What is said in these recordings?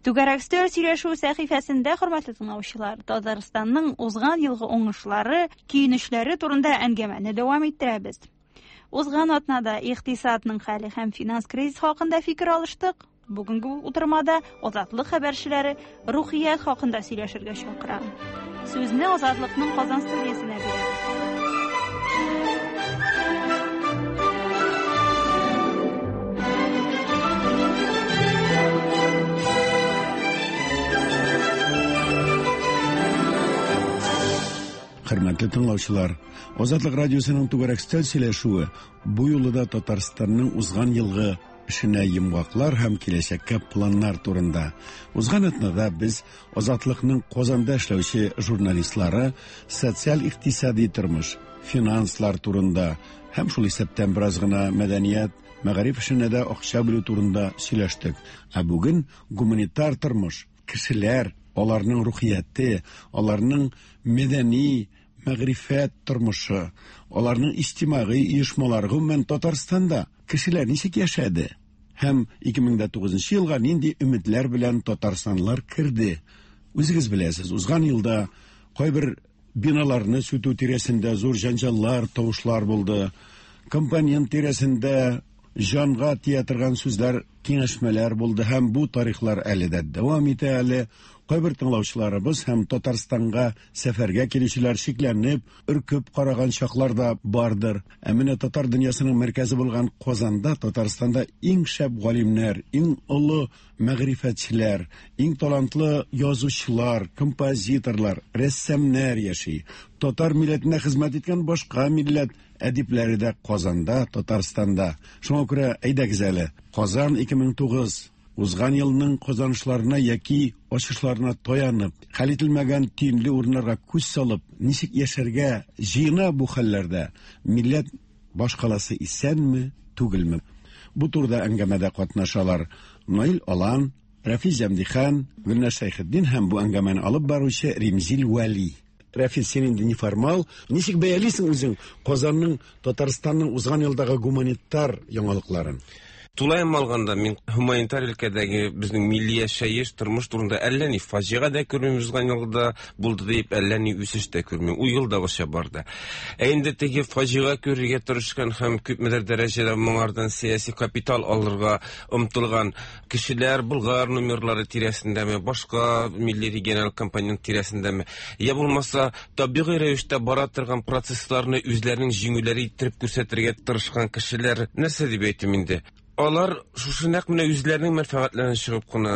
Түгәрәк өстәл сөйләшү сәхифәсендә, хөрмәтле тыңлаучылар, Татарстанның узган елгы уңышлары, көенечләре турында әңгәмәне дәвам иттерәбез. Узган атнада икътисадның хәле һәм финанс кризис хакында фикер алыштык. Бүгенге утырмада Азатлык хәбәрчеләре рухият хакында сөйләшергә чакыра. Сүзне Азатлыкның Казан студиясенә бирәбез. Хөрмәтле тыңлаучылар, Азатлык радиосының түгәрәк өстәл сөйләшүе бу юлы да Татарстанның узган елгы эшенә йомгаклар һәм киләчәккә планнар турында. Узган атнада без Азатлыкның Казанда эшләүче журналистлары социаль-икътисади тормыш, финанслар турында һәм шул исәптән бераз гына мәдәният, мәгариф эшенә дә акча бүлү турында сөйләштек. Ә бүген гуманитар тормыш, кешеләр, аларның рухияте, аларның мәдәни, мәгърифәт тормышы, аларның иҗтимагый оешмалары, гомумән Татарстанда кешеләр ничек яшәде һәм 2009 елга нинди өметләр белән татарстанлылар керде. Үзегез беләсез, узган елда кайбер биналарны сүтү тирәсендә зур җәнҗаллар, тавышлар булды. Компонент тирәсендә җанга тия торган сүзләр, киңәшмәләр булды һәм бу тарихлар әле дә дәвам итә әле. Кайбер тыңлаучыларыбыз һәм Татарстанга сәфәргә килүчеләр шикләнеп, өркеп караган чаклар да бардыр. Ә менә татар дөньясының мәркәзе булган Казанда, Татарстанда иң шәп галимнәр, иң олы мәгърифәтчеләр, иң талантлы язучылар, композиторлар, рәссамнар яши. Татар милләтенә хезмәт иткән башка милләт әдипләре дә Казанда, Татарстанда. Шуңа күрә әйдәгез әле, Казан 2009 узган елның казанышларына яки ачышларына таянып, хәл ителмәгән төенле урыннарга күз салып, ничек яшәргә җыена бу хәлләрдә, милләт башкаласы исәнме, түгелме? Бу турыда әңгәмәдә катнашалар Наил Алан, Рәфис Җәмдихан, Гөлназ Шәйхетдин һәм бу әңгәмәне алып баручы Римзил Вәли. Рәфис, син инде неформал. Ничек бәялисең үзең Казанның, Татарстанның узган елдагы гуманитар яңалыкларын? Тулаем алганда, мин һуманитар өлкәдәге безнең милли яшәеш, тормыш турында әллә ни фаҗига дә күрмим, узган елда булды дип, әллә ни үсеш тә күрмим. Ул елдагыча барды. Ә инде теге фаҗига күрергә тырышкан һәм күпмедер дәрәҗәдә моңардан сәяси капитал алырга омтылган кешеләр Болгар номерлары тирәсендәме, башка милли региональ компонент тирәсендәме, я булмаса табигый рәвештә бара торган процессларны үзләренең җиңүләре иттереп күрсәтергә тырышкан кешеләр, нәрсә дип әйтим инде? Алар шушы нәкъ менә үзләренең мәнфәгатьләреннән чыгып кына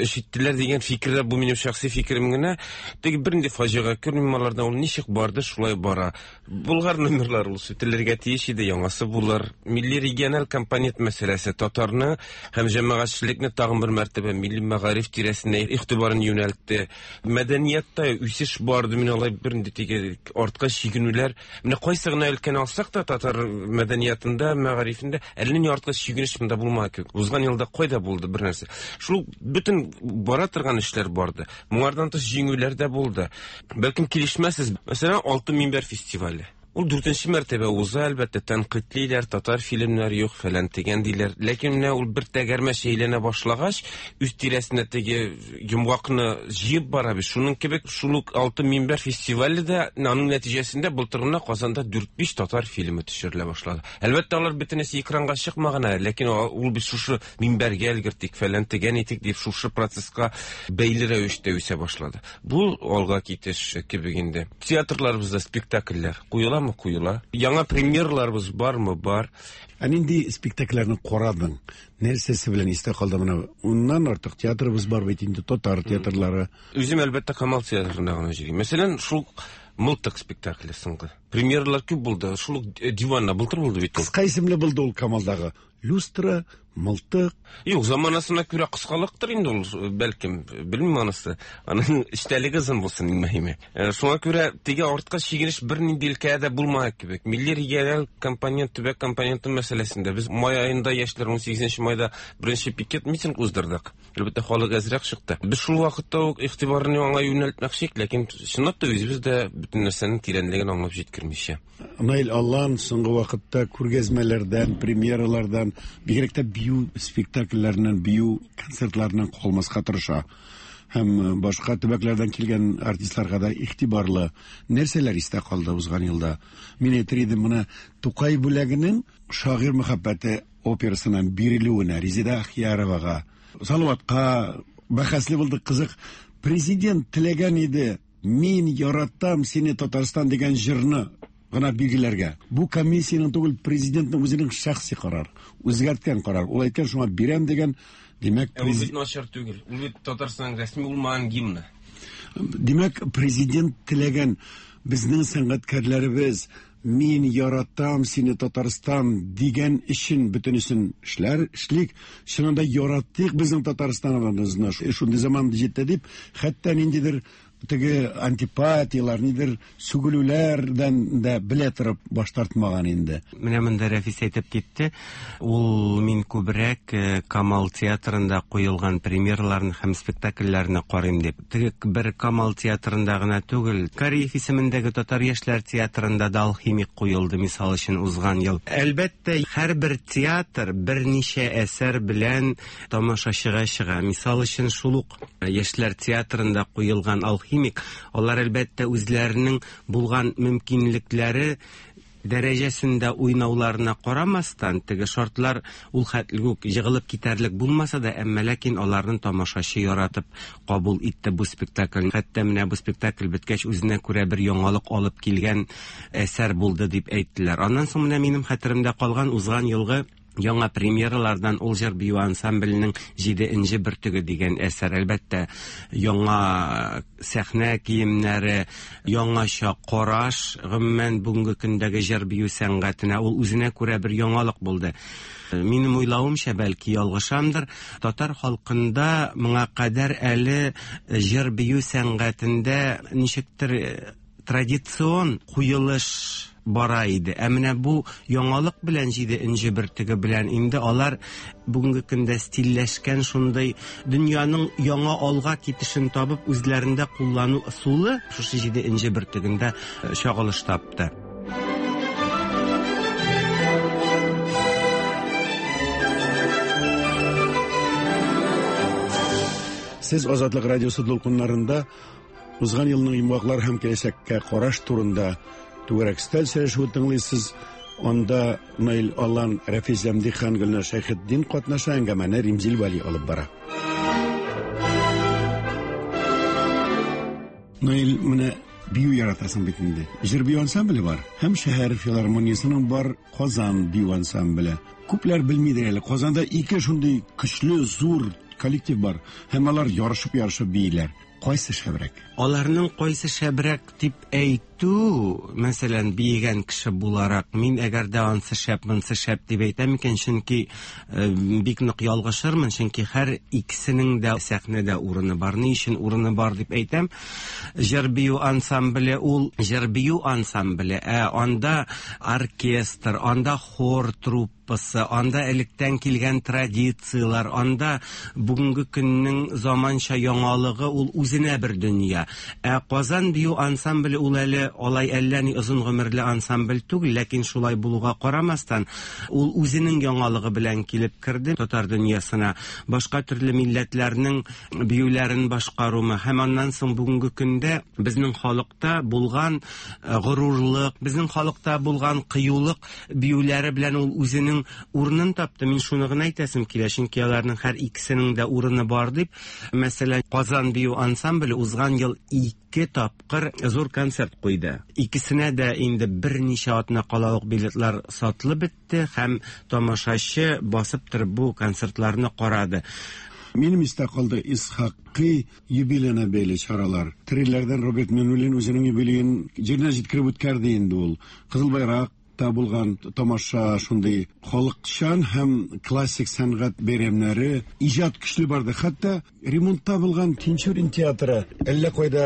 эш иттеләр дигән фикерләр, бу минем шәхси фикерем генә. Теге бернинди фаҗига күрмим алардан, ул ничек барды, шулай бара. Болгар номерлары ул сүтелергә тиеш иде, яңасы булыр. Милли региональ компонент мәсьәләсе татарны һәм җәмәгатьчелекне тагын бер мәртәбә милли мәгариф тирәсенә игътибарын юнәлтте. Мәдәниятта үсеш барды, мин алай бернинди теге артка чигенүләр. Менә кайсы гына өлкәне алсак та, татар мәдәниятында, мәгарифендә әллә ни артка чигенеш монда булмады кебек. Узган елда кайда булды бер нәрсә? Шул бөтен бара торган эшләр барды. Моңардан тыш җиңүләр дә булды. Бәлкем килешмәссез. Мәсәлән, Алтын минбәр фестивале. Ул дүртенче мәртәбә уза, әлбәттә, тәнкыйтьлиләр, татар фильмнары юк, фәлән дигән диләр. Ләкин менә ул бер тәгәрмәч әйләнә башлагач, үз тирәсенә теге йомгакны җыеп бара бит. Шуның кебек шул ук Алтын минбәр фестивале дә, аның нәтиҗәсендә былтыр гына Казанда дүрт-биш татар фильмы төшерелә башлады. Әлбәттә, алар бөтенесе экранга чыкмаган әле, ләкин ул бит шушы минбәргә өлгертик, фәлән тегән итик дип шушы процесска бәйле рәвештә үсә башлады. Бу алга китеш кебек инде. Театрларыбызда спектакльләр куеламы? Куела. Яңа премьераларыбыз бармы? Бар. Ә нинди спектакльләрне карадың? Нәрсәсе белән истә калды менә? Уннан артык театрыбыз бар бит инде, татар театрлары. Үзем, әлбәттә, Камал театрына гына йөрим. Мәсәлән, шул Мылтык спектакле соңгы. Премьералар күп булды. Шул ук Диванна былтыр булды бит ул. Кыска исемле булды ул Камалдагы. Люстра, мылтык. Юк, заманасына күрә кыскалыктыр инде ул, бәлкем, белмим анысы. Аның эчтәлеге озын булсын, иң мөһиме. Шуңа күрә теге артка чигенеш бернинди өлкәдә дә булмаган кебек. Милли региональ компонент, төбәк компоненты мәсьәләсендә без май аенда яшьләр 18 майда беренче пикет митинг уздырдык. Әлбәттә, халык әзрәк чыкты. Без шул вакытта ук игътибарны аңа юнәлтмәкче идек, ләкин чынлап та үзебез дә бөтен нәрсәнең тирәнлеген аңлап җиткерә. кермичә. Наил Аллан соңгы вакытта күргәзмәләрдән, премьералардан, бигрәк тә бию спектакльләреннән, бию концертларыннан калмаска тырыша. Һәм башка төбәкләрдән килгән артистларга да игътибарлы. Нәрсәләр истә калды узган елда? Мин әйтер идем, менә Тукай бүләгенең Шагыйрь мәхәббәте операсыннан бирелүенә Резеда Ахияровага, Салаватка бәхәсле булды, кызык. Президент теләгән иде, мин яратам сине, Татарстан дигән җырны гына билгеләргә. Бу комиссиянең түгел, президентның үзенең шәхси карар, үзгәрткән карар. Ул әйткән, шуңа бирәм дигән, димәк, Ә ул бит начар түгел. Ул бит Татарстанның рәсми булмаган гимны. Димәк, президент теләгән безнең сәнгатькәрләребез мин яратам сине, Татарстан дигән өчен бөтенесен эшләр, эшлик. Чыннан да яраттык безнең Татарстаныбызны. Шундый заман җитте дип, хәтта ниндидер теге антипатиялар, нидер сүгелүләрдән дә белә торып баш тартмаган инде. Менә монда Рәфис әйтеп китте. Ул мин күбрәк Камал театрында куелган премьераларны һәм спектакльләрне карыйм дип. Теге бер Камал театрында гына түгел, Кариев исемендәге Татар яшьләр театрында да Алхимик куелды, мисал өчен, узган ел. Әлбәттә, һәрбер театр берничә әсәр белән тамашачыга чыга. Мисал өчен, шул ук Яшьләр театрында куелган Алхимик, алар әлбәттә үзләренең булган мөмкинлекләре дәрәҗәсендә уйнауларына карамастан, теге шартлар ул хәтле үк җыгылып китәрлек булмаса да, әмма ләкин аларны тамашачы яратып кабул итте бу спектакльне. Хәтта менә бу спектакль беткәч, үзенә күрә бер яңалык алып килгән әсәр булды дип әйттеләр. Аннан соң менә минем хәтеремдә калган узган елгы яңа премьералардан ул җыр бию ансамбленең Җиде энҗе бөртеге дигән әсәр. Әлбәттә, яңа сәхнә киемнәре, яңача караш, гомумән, бүгенге көндәге җыр бию сәнгатенә ул үзенә күрә бер яңалык булды. Минем уйлавымча, бәлки ялгышамдыр, татар халкында моңа кадәр әле җыр бию сәнгатендә ничектер традицион куелыш бара иде. Ә менә бу яңалык белән Җиде энҗе бөртеге белән инде алар бүгенге көндә стильләшкән шундый дөньяның яңа алга китешен табып үзләрендә куллану ысулы шушы Җиде энҗе бөртегендә чагылыш тапты. Сез Азатлык радиосы дулкыннарында Узган елның йомгаклар һәм киләчәккә караш турында түгәрәк өстәл сөйләшүе тыңлыйсыз. Анда Наил Алан, Рәфис Зәмдихан, Гөлнар Шәйхетдин катнаша, әңгәмәне Римзил Вәли алып бара. Наил, менә бию яратасың бит инде. Җыр бию ансамбле бар һәм шәһәр филармониясенең бар Казан бию ансамбле. Күпләр белмидер әле, Казанда ике шундый көчле, зур коллектив бар һәм алар ярышып-ярышып бииләр. Кайсы шәбрәк? Аларның кайсы шәбрәк дип әйтү, мәсәлән, биегән кеше буларак, мин әгәр дә ансы шәп, монсы шәп дип әйтәм икән, чөнки бик нык ялгышырмын, чөнки һәр икесенең дә сәхнәдә урыны бар. Ни өчен урыны бар дип әйтәм? Җыр бию ансамбле ул җыр бию ансамбле, ә анда оркестр, анда хор труппасы, анда электән килгән традицияләр, анда бүгенге көннең заманча яңалыгы ул үзенә бер дөнья. Ә Казан бию ансамбле ул әле алай әллә ни озын гомерле ансамбль түгел, ләкин шулай булуга карамастан, ул үзенең яңалыгы белән килеп керде татар дөньясына. Башка төрле милләтләрнең биюләрен башкарумы һәм аннан соң бүгенге көндә безнең халыкта булган горурлык, безнең халыкта булган кыюлык биюләре белән ул үзенең урынын тапты. Мин шуны гына әйтәсем килә, чөнки аларның һәр икесенең дә урыны бар дип. Мәсәлән, Казан бию ансамбле узган ел 2 тапкыр зур концерт куйды. Икесенә дә инде берничә атна кала ук билетлар сатылып бетте һәм тамашачы басып торып бу концертларны карады. Минем истә калды Исхакый юбилеена бәйле чаралар. Трилләрдән Роберт Миннуллин үзенең юбилеен җиренә җиткереп үткәрде инде ул. Кызыл байрак та булган тамаша, шундый халыкчан һәм классик сәнгать бәйрәмнәре, иҗат көчле барды. Хәтта ремонтта булган Тинчурин театры әллә кайда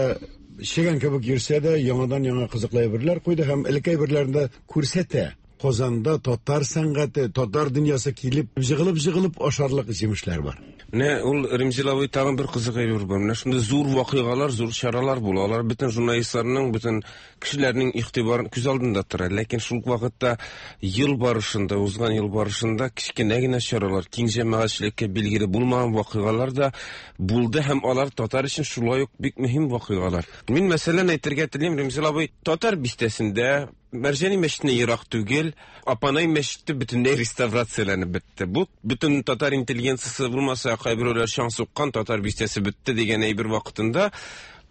чегән кебек йөрсә дә, яңадан яңа кызыклы әйберләр куйды һәм элекке әйберләрен дә күрсәтә. Казанда татар сәнгате, татар дөньясы килеп, җыгылып-җыгылып ашарлык җимешләр бар. Менә ул Ремзил абый тагын бер кызык әйбер бар. Менә шундый зур вакыйгалар, зур чаралар була. Алар бөтен журналистларның, бөтен кешеләрнең игътибарын күз алдында тора. Ләкин шул ук вакытта ел барышында, узган ел барышында кечкенә генә чаралар, киң җәмәгатьчелеккә билгеле булмаган вакыйгалар да булды һәм алар татар өчен шулай ук бик мөһим вакыйгалар. Мин мәсәлән әйтергә телим, Ремзил абый, татар бистәсендә Мәрҗани мәчетенә ерак түгел, Апанай мәчете бөтенләй реставрацияләнеп бетте. Бу бөтен татар интеллигенциясе булмаса, кайберәүләр чаң суккан, татар бистәсе бетте дигән әйбер вакытында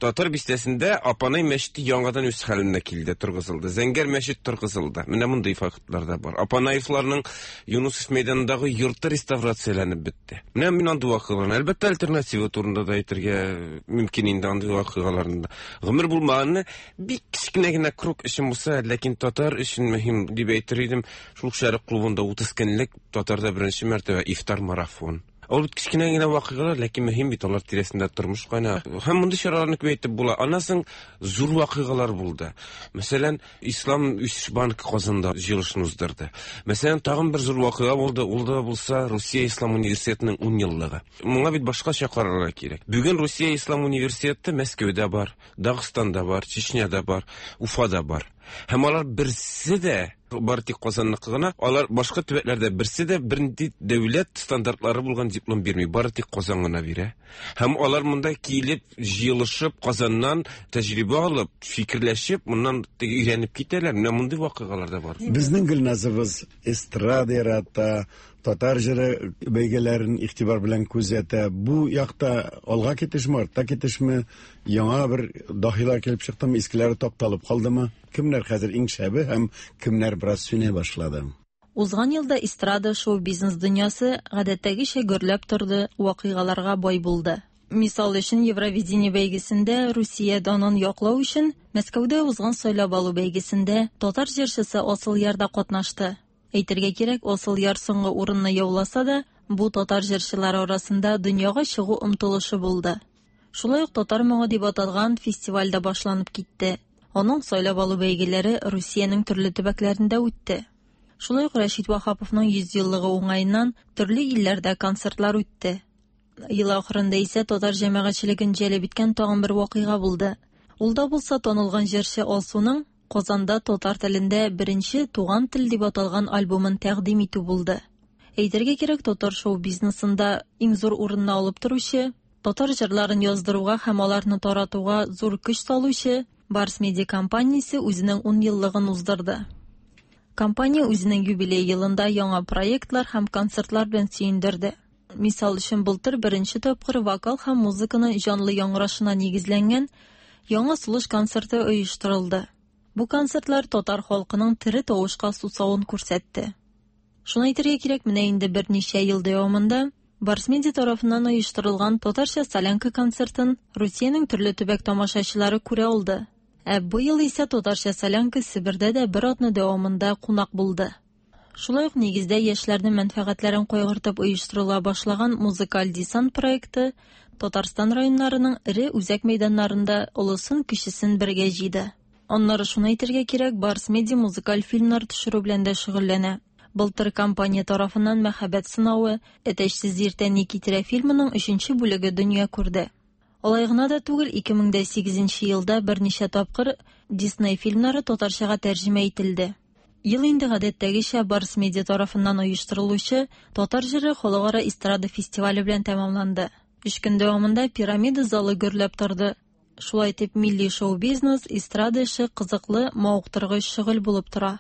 татар бистәсендә Апанай мәчете яңадан үз хәленә килде, торгызылды. Зәңгәр мәчет торгызылды. Менә мондый фактлар да бар. Апанаевларның Юнусов мәйданындагы йорты реставрацияләнеп бетте. Менә мин андый вакыйгаларны, әлбәттә, альтернатива турында да әйтергә мөмкин инде андый вакыйгаларны да. Гомер булмаганны бик кечкенә генә круг өчен булса, ләкин татар өчен мөһим дип әйтер идем. Шул Шәрык клубында 30 көнлек татарда беренче мәртәбә ифтар марафон. Ул бит кечкенә генә вакыйгалар, ләкин мөһим бит, алар тирәсендә тормыш кайна. Һәм мондый чараларны күбәйтеп була. Аннан соң зур вакыйгалар булды. Мәсәлән, Ислам үсеш банкы Казанда җыелышын уздырды. Мәсәлән, тагын бер зур вакыйга булды, ул да булса Русия Ислам университетының 10 еллыгы. Моңа бит башкача карарга кирәк. Бүген Русия Ислам университеты Мәскәүдә бар, Дагыстанда бар, Чечняда бар, Уфада бар. Һәм алар берсе дә бары тик Казанныкы гына, алар башка төбәкләрдә берсе дә бернинди дәүләт стандартлары булган диплом бирми, бары тик Казан гына бирә. Һәм алар монда килеп, җыелышып, Казаннан тәҗрибә алып, фикерләшеп, моннан теге өйрәнеп китәләр. Менә мондый вакыйгалар да бар. Безнең Гөлназыбыз эстрада ярата, татар җыры бәйгеләрен игътибар белән күзәтә. Бу якта алга китешме, артта китешме, яңа бер даһилар килеп чыктымы, искеләре тапталып калдымы? Кемнәр хәзер иң шәбе һәм кемнәр бераз сүнә башлады? Узган елда эстрада шоу-бизнес дөньясы гадәттәгечә гөрләп торды, вакыйгаларга бай булды. Мисал өчен, Евровидение бәйгесендә Русия данын яклау өчен Мәскәүдә узган сайлап алу бәйгесендә татар җырчысы Асылъяр да катнашты. Әйтергә кирәк, Асылъяр соңгы урынны яуласа да, бу татар җырчылары арасында дөньяга чыгу омтылышы булды. Шулай ук Татар моңы дип аталган фестиваль дә башланып китте. Аның сайлап алу бәйгеләре Русиянең төрле төбәкләрендә үтте. Шулай ук Рәшит Ваһаповның 100 еллыгы уңаеннан төрле илләрдә концертлар үтте. Ел ахырында исә татар җәмәгатьчелеген җәлеп иткән тагын бер вакыйга булды. Ул да булса танылган җырчы Алсуның Казанда татар телендә беренче Туган тел дип аталган альбомын тәкъдим итү булды. Әйтергә кирәк, татар шоу-бизнесында иң зур урынны алып торучы, татар җырларын яздыруга һәм аларны таратуга зур көч салучы Барс Медиа компаниясе үзенең 10 еллыгын уздырды. Компания үзенең юбилей елында яңа проектлар һәм концертлар белән сөендерде. Мисал өчен, былтыр беренче тапкыр вокал һәм музыканы җанлы яңгырашына нигезләнгән Яңа сулыш концерты оештырылды. Бу концертлар татар халкының тере тавышка сусавын күрсәтте. Шуны әйтергә кирәк, менә инде берничә ел дәвамында Барс Медиа тарафыннан оештырылган Татарча солянка концертын Русиянең төрле төбәк тамашачылары күрә алды. Ә быел исә Татарча солянка Себердә дә бер атна дәвамында кунак булды. Шулай ук нигездә яшьләрнең мәнфәгатьләрен кайгыртып оештырыла башлаган Музыкаль десант проекты Татарстан районнарының эре үзәк мәйданнарында олысын-кечесен бергә җыйды. Аннары шуны әйтергә кирәк, Барс Медиа музыкаль фильмнар төшерү белән дә шөгыльләнә. Былтыр компания тарафыннан Мәхәббәт сынавы, Әтәчсез иртә ни китерә фильмының өченче бүлеге дөнья күрде. Алай гына да түгел, 2008 нче елда берничә тапкыр Дисней фильмнары татарчага тәрҗемә ителде. Ел инде гадәттәгечә Барс Медиа тарафыннан оештырылучы Татар җыры халыкара эстрада фестивале белән тәмамланды. Өч көн дәвамында Пирамида залы гөрләп торды. Шулай итеп, милли шоу-бизнес, эстрада эше кызыклы, мавыктыргыч шөгыль булып тора.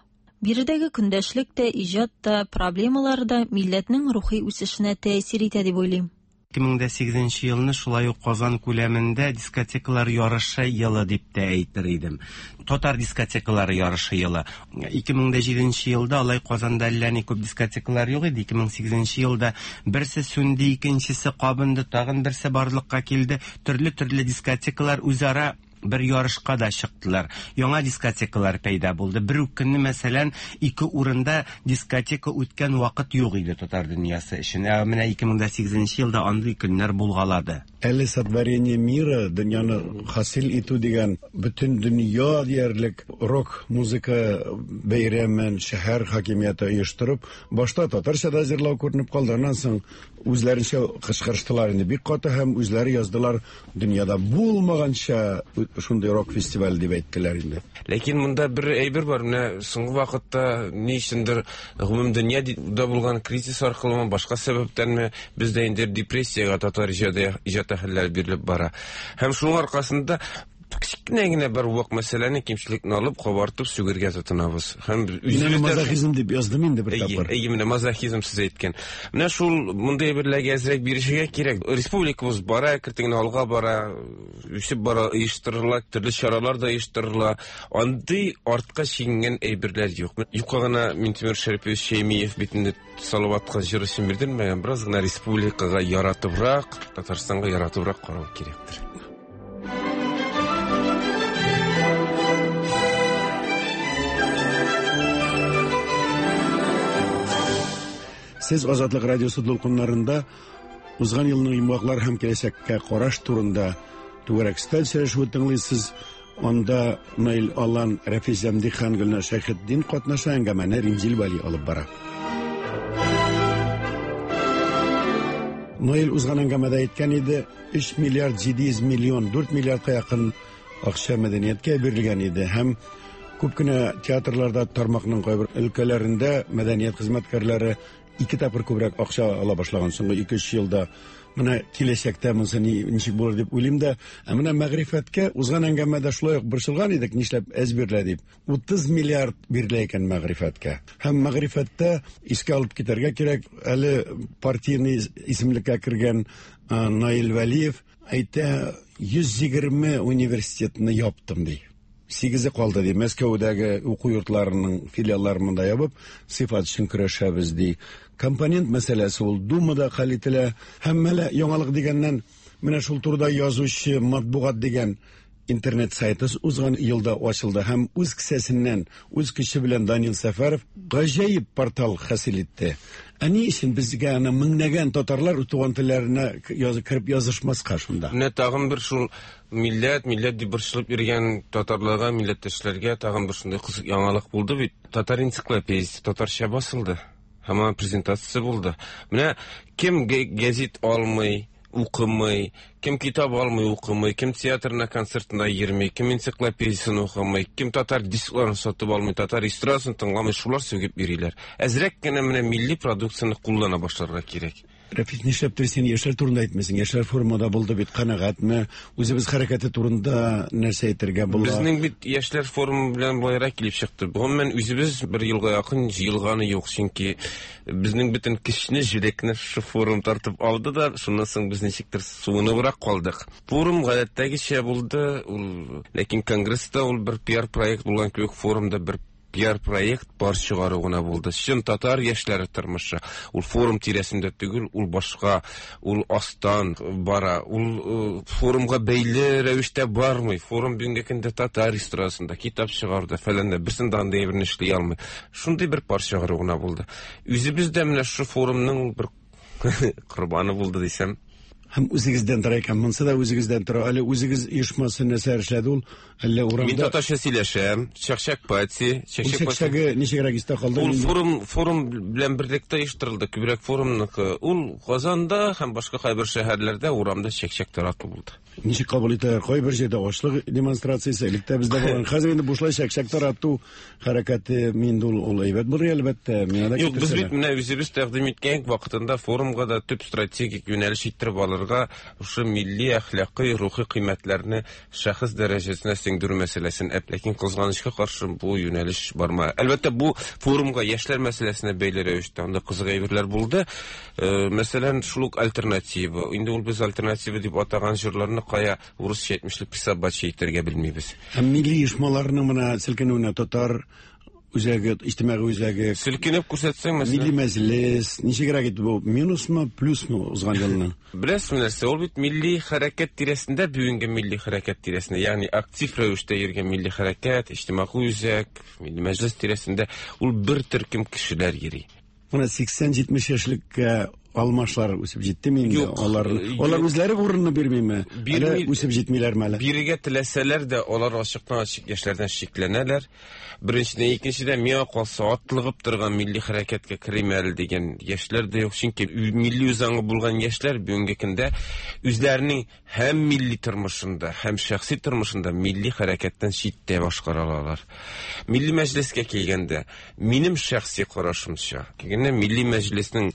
Биредәге көндәшлек тә, иҗат та, проблемалар да милләтнең рухи үсешенә тәэсир итә дип уйлыйм. 2008 нче елны шулай ук Казан күләмендә дискотекалар ярышы елы дип тә әйтер идем. Татар дискотекалары ярышы елы. 2007 нче елда алай Казанда әллә ни күп дискотекалар юк иде. 2008 нче елда берсе сүнде, икенчесе кабынды, тагын берсе барлыкка килде. Төрле-төрле дискотекалар үзара. Бер ярышка да чыктылар. Яңа дискотекалар пәйда булды. Бер үк көнне, мәсәлән, ике урында дискотека үткән вакыт юк иде татар дөньясы өчен. Ә менә 2008 елда андый көннәр булгалады. Әле Сотворение мира, дөньяны хасил итү дигән бөтен дөнья диярлек рок музыка бәйрәмен шәһәр хакимияте оештырып, башта татарча да җырлау күренеп калды, аннан соң үзләренчә кычкырыштылар инде бик каты һәм үзләре яздылар дөньяда булмаганча шундый рок фестиваль дип әйттеләр инде. Ләкин монда бер әйбер бар, менә соңгы вакытта ни өчендер гомум дөньяда булган кризис аркылымы, башка сәбәптәнме, бездә инде депрессиягә татар иҗаты иҗат әһелләре бирелеп бара. Һәм шуның аркасында кечкенә генә бер вак мәсьәләне, кимчелекне алып, кабартып сүгергә тотынабыз. Һәм үзебез мазохизм дип яздым инде бер тапкыр. Әйе, менә мазохизм сез әйткән. Менә шул мондый әйберләргә әзрәк бирешергә кирәк. Республикабыз бара, әкрен генә алга бара, үсеп бара, оештырыла, төрле чаралар да оештырыла. Андый артка чигенгән әйберләр юк. Юкка гына Минтимер Шәрипович Шәймиев бит инде Салаватка җыр өчен бирделмәгән, бераз гына республикага яратыбрак, Татарстанга яратыбрак карау кирәктер. Сез Азатлык радиосы дулкыннарында узган елның йомгаклар һәм киләчәккә караш турында түгәрәк өстәл сөйләшүе тыңлыйсыз. Анда Наил Алан, Рәфис Зәмдихан, Гөлнар Шәйхетдин катнаша, әңгәмәне Римзил Вәли алып бара. Наил узган әңгәмәдә әйткән иде, 3 миллиард 700 миллион, 4 миллиардка якын акча мәдәнияткә бирелгән иде һәм күп кенә театрларда тармакның кайбер өлкәләрендә мәдәният хезмәткәрләре ике тапкыр күбрәк акча ала башлаган соңгы 2-3 елда. Менә киләчәктә монысы ничек булыр дип уйлыйм да. Ә менә мәгърифәткә узган әңгәмәдә шулай ук борчылган идек, нишләп әз бирелә дип. 30 миллиард бирелә икән мәгърифәткә. Һәм мәгърифәттә искә алып китәргә кирәк, әле партийный исемлеккә кергән Наил Вәлиев әйтә, 120 университетны яптым ди. Сигезе калды ди. Мәскәүдәге уку йортларының филиалларын монда ябып, сыйфат өчен көрәшәбез ди. Компонент мәсьәләсе ул Думада хәл ителә. Һәм менә яңалык дигәннән, менә шул турыда язучы матбугат дигән интернет сайты узган елда ачылды һәм үз кесәсеннән, үз көче белән Данил Сәфәров гаҗәеп портал хасил итте. Ә ни өчен безгә аны меңләгән татарлар туган телләренә кереп язышмаска шунда? Менә тагын бер шул милләт, милләт дип борчылып йөргән татарларга, милләттәшләргә тагын бер шундый кызык яңалык булды бит. Татар энциклопедиясе татарча басылды. Һәм аның презентациясе булды. Менә кем гәзит алмый, укымый, кем китап алмый, укымый, кем театрына, концертына йөрми, кем энциклопедиясен укымый, кем татар дискларын сатып алмый, татар эстрадасын тыңламый, шулар сүгеп йөриләр. Әзрәк кенә менә милли продукцияне куллана башларга кирәк. Рәфис, нишләптер син яшьләр турында әйтмисең? Яшьләр форумы да булды бит, канәгатьме? Үзебез хәрәкәте турында нәрсә әйтергә була? Безнең бит яшьләр форумы белән болайрак килеп чыкты. Гомумән, үзебез бер елга якын җыелганы юк, чөнки безнең бөтен көчне, җүрәкне шушы форум тартып алды да, шуннан соң без ничектер суыныбрак калдык. Форум гадәттәгечә булды, ул, ләкин конгресста ул бер пиар проект булган кебек, форумда бер пиар проект бар чыгару гына булды. Чын татар яшьләре тормышы. Ул форум тирәсендә түгел, ул башка, ул астан бара, ул форумга бәйле рәвештә бармый. Форум бүгенге көндә татар эстрадасында, китап чыгаруда, фәләндә, берсен дә андый әйберне эшли алмый. Шундый бер пар чыгару гына булды. Үзебез дә менә шушы форумның бер корбаны булды дисәм. Һәм үзегездән тора икән, монысы да үзегездән тора. Әле үзегез оешмасы нәрсә эшләде ул? Әллә урамда? Мин татарча сөйләшәм. Чәкчәк пати, чәкчәк пати. Чәкчәге ничегрәк истә калды? Ул форум белән берлектә оештырылды. Күбрәк форумныкы. Ул Казанда һәм башка кайбер шәһәрләрдә урамда чәкчәк тарату булды. Ничек кабул итәләр? Кайбер җирдә ачлык демонстрациясе элек тә бездә булган. Хәзер инде бушлай чәкчәк тарату хәрәкәте инде ул әйбәт булыр әлбәттә. Миңа да Юк, без бит менә үзебез тәкъдим иткән вакытында форумга да төп стратегик юнәлеш иттереп алырга шушы милли, әхлакый, рухи кыйммәтләрне шәхес дәрәҗәсенә сеңдерү мәсьәләсен, ләкин кызганычка каршы бу юнәлеш барма. Әлбәттә, бу форумга яшьләр мәсьәләсенә бәйле рәвештә анда кызык әйберләр булды. Мәсәлән, шул ук альтернатива. Инде ул без альтернатива дип атаган җырларны кая урысча әйтмешли присобачить итәргә белмибез. Һәм милли оешмаларның менә селкенүенә татар үзәге, иҗтимагый үзәге. Селкенеп күрсәтсәң, мәсәлән. Милли мәҗлес, ничегрәк итеп бу минусмы, плюсмы узган елның? Беләсезме нәрсә, ул бит милли хәрәкәт тирәсендә, бүгенге милли хәрәкәт тирәсендә, ягъни актив рәвештә йөргән милли хәрәкәт, иҗтимагый үзәк, милли мәҗлес тирәсендә ул бер төркем кешеләр йөри. Менә 80-70 яшьлеккә алмашлар үсеп җиттеме инде? Юк. Алар, алар үзләре урынны бирмиме? Бирми. Әллә үсеп җитмиләрме әле? Бирергә теләсәләр дә, алар ачыктан-ачык яшьләрдән шикләнәләр. Беренчедән, икенчедән, миңа калса, атлыгып торган милли хәрәкәткә керим әле дигән яшьләр дә юк. Чөнки милли үзаңы булган яшьләр бүгенге көндә үзләренең һәм милли тормышында, һәм шәхси тормышында милли хәрәкәттән читтә башкара алалар. Милли мәҗлескә килгәндә, минем шәхси карашымча, килгәндә милли мәҗлеснең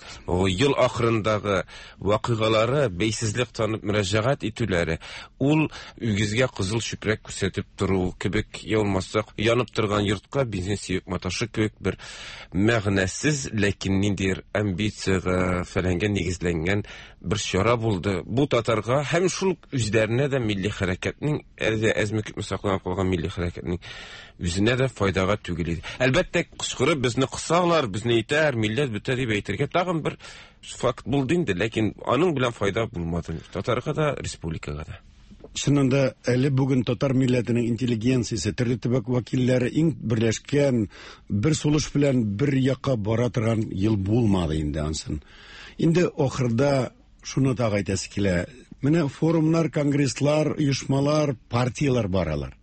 ел ахырындагы вакыйгалары, бәйсезлек танып мөрәҗәгать итүләре, ул үгезгә кызыл чүпрәк күрсәтеп тору кебек, я булмаса, янып торган йортка бензин сибеп маташу кебек бер мәгънәсез, ләкин ниндидер амбициягә, фәләнгә нигезләнгән бер чара булды. Бу татарга һәм шул үзләренә дә милли хәрәкәтнең, әле дә әзме күпме сакланып калган милли хәрәкәтнең үзенә дә файдага түгел иде. Әлбәттә, кычкырып безне кысалар, безне итәр, милләт бетә дип әйтергә тагын бер факт булды инде, ләкин аның белән файда булмады татарга да, республикага да. Чыннан да, әле бүген татар милләтенең интеллигенциясе, төрле төбәк вәкилләре иң берләшкән, бер сулыш белән бер якка бара торган ел булмады инде ансын. Инде ахырда шуны тагы әйтәсе килә. Менә форумнар, конгресслар, оешмалар, партияләр бар алар.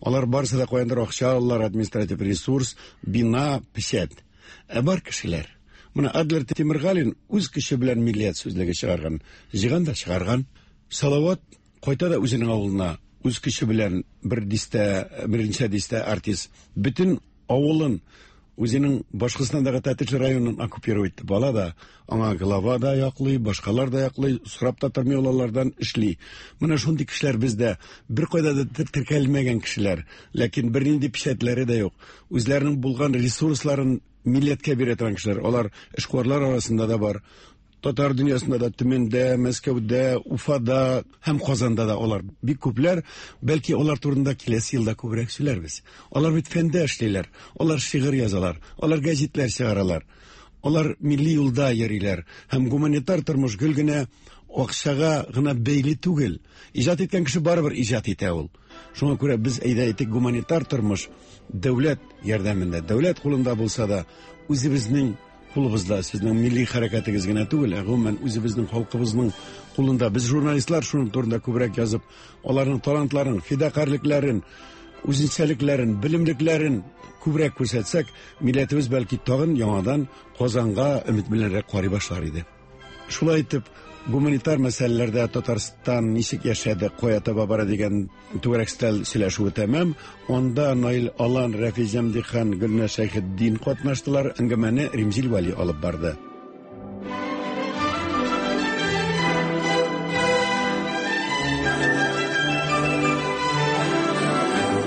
Алар барысы да каяндыр акча алалар, административ ресурс, бина, печәт. Ә бар кешеләр. Менә Адлер Тимергалин үз көче белән миллият сүзлеге чыгарган. Җыйган да чыгарган. Салават кайта да үзенең авылына үз көче белән бер дистә, берничә дистә артист. Бөтен авылын үзенең Башкортстандагы Тәтеш районын оккупировать итеп ала да, аңа глава да яклый, башкалар да яклый, сорап та тормый ул алардан эшли. Менә шундый кешеләр бездә беркайда да теркәлмәгән кешеләр, ләкин бернинди печәтләре дә юк. Үзләренең булган ресурсларын милләткә бирә торган кешеләр. Алар эшкуарлар арасында да бар. Татар дөньясында да, Төмәндә, Мәскәүдә, Уфада һәм Казанда да алар бик күпләр. Бәлки алар турында киләсе елда күбрәк сөйләрбез. Алар бит фәндә эшлиләр, алар шигырь язалар, алар гәзитләр чыгаралар. Алар милли юлда йөриләр һәм гуманитар тормыш гел генә акчага гына бәйле түгел. Иҗат иткән кеше барыбер иҗат итә ул. Шуңа күрә без әйдә әйтик, гуманитар тормыш дәүләт ярдәмендә, дәүләт кулында булса да, үзебезнең кулыбызда, сезнең милли хәрәкәтегез генә түгел, ә гомумән үзебезнең халкыбызның кулында. Без журналистлар шуның турында күбрәк язып, аларның талантларын, фидакарьлекләрен, үзенчәлекләрен, белемлекләрен күбрәк күрсәтсәк, милләтебез бәлки тагын яңадан Казанга өмет беләнрәк карый башлар иде. Шулай итеп, гуманитар мәсьәләләрдә Татарстан ничек яшәде, кая таба бара дигән түгәрәк өстәл сөйләшүе тәмам. Анда Наил Алан, Рәфи Җәмдихан, Гөлназ Шәйхетдин катнаштылар. Әңгәмәне Римзил Вәли алып барды.